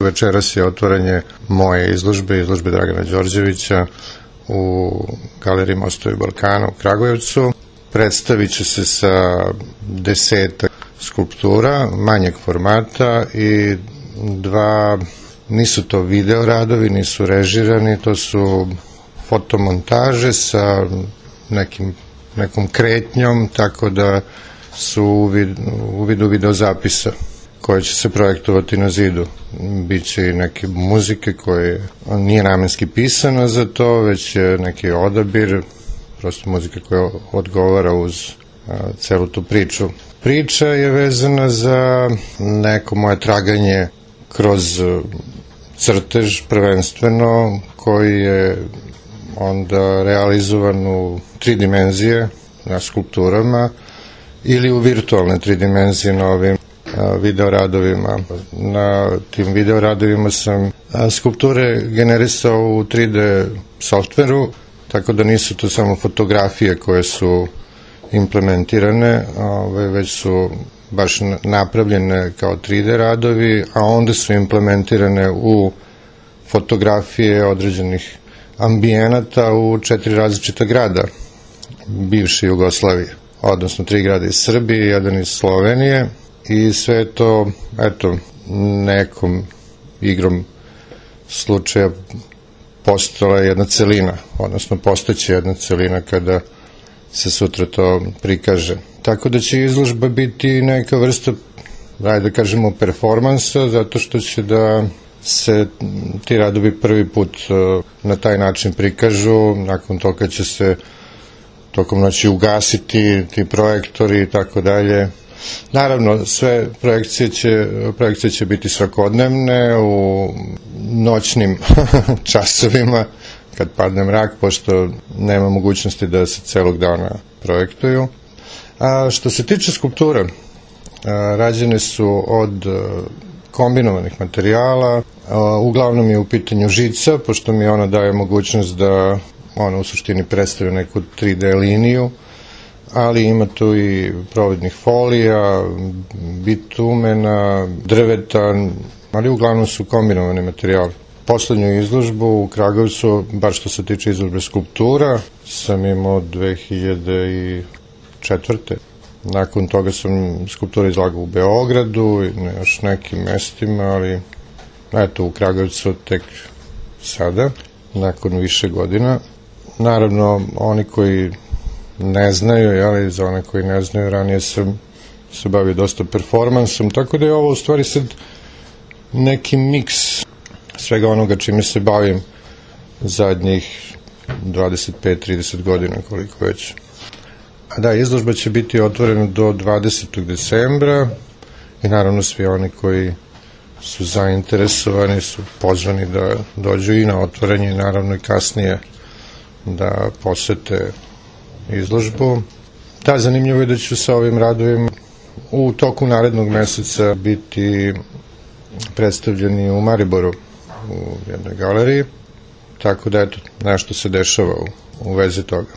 Večeras je otvaranje moje izložbe Dragana Đorđevića u Galeriji Mostovi Balkana u Kragujevcu. Predstavit će se sa 10 skulptura manjeg formata i nisu to video radovi, nisu režirani, to su fotomontaže sa nekom kretnjom, tako da su u vidu videozapisa koje će se projektovati na zidu. Biće i neke muzike koje nije namenski pisana za to, već je neki odabir, prosto muzika koja odgovara uz celu tu priču. Priča je vezana za neko moje traganje kroz crtež prvenstveno, koji je onda realizovan u 3 dimenzije na skulpturama ili u virtualne 3 dimenzije na ovim videoradovima. Na tim videoradovima sam skulpture generisao u 3D softveru, tako da nisu to samo fotografije koje su implementirane, već su baš napravljene kao 3D radovi, a onda su implementirane u fotografije određenih ambijenata u 4 različita grada bivše Jugoslavije, odnosno 3 grada iz Srbije i 1 iz Slovenije. I sve to, nekom igrom slučaja postala jedna celina, odnosno postaće jedna celina kada se sutra to prikaže. Tako da će izložba biti neka vrsta, da kažemo, performansa, zato što će da se ti radovi prvi put na taj način prikažu, nakon toga će se tokom noći ugasiti ti projektori i tako dalje. Naravno, sve projekcije će biti svakodnevne u noćnim časovima kad padne mrak, pošto nema mogućnosti da se celog dana projektuju. A što se tiče skulptura, rađene su od kombinovanih materijala, uglavnom je u pitanju žica, pošto mi ona daje mogućnost da ona u suštini predstavlja neku 3D liniju, ali ima tu i providnih folija, bitumena, drveta, ali uglavnom su kombinovani materijali. Poslednju izložbu u Kragujevcu, bar što se tiče izložbe skulptura, sam imao 2004. Nakon toga sam skulpture izlagao u Beogradu i na još nekim mestima, ali eto u Kragujevcu tek sada, nakon više godina. Naravno, oni koji ne znaju, ali za one koji ne znaju, ranije sam se bavio dosta performansom, tako da je ovo u stvari sad neki miks svega onoga čime se bavim zadnjih 25-30 godina, koliko već. A da, izložba će biti otvorena do 20. decembra i naravno svi oni koji su zainteresovani su pozvani da dođu i na otvaranje i naravno i kasnije da posete izložbu. Da, zanimljivo je da ću sa ovim radovima u toku narednog meseca biti predstavljeni u Mariboru u jednoj galeriji, tako da eto, nešto se dešava u vezi toga.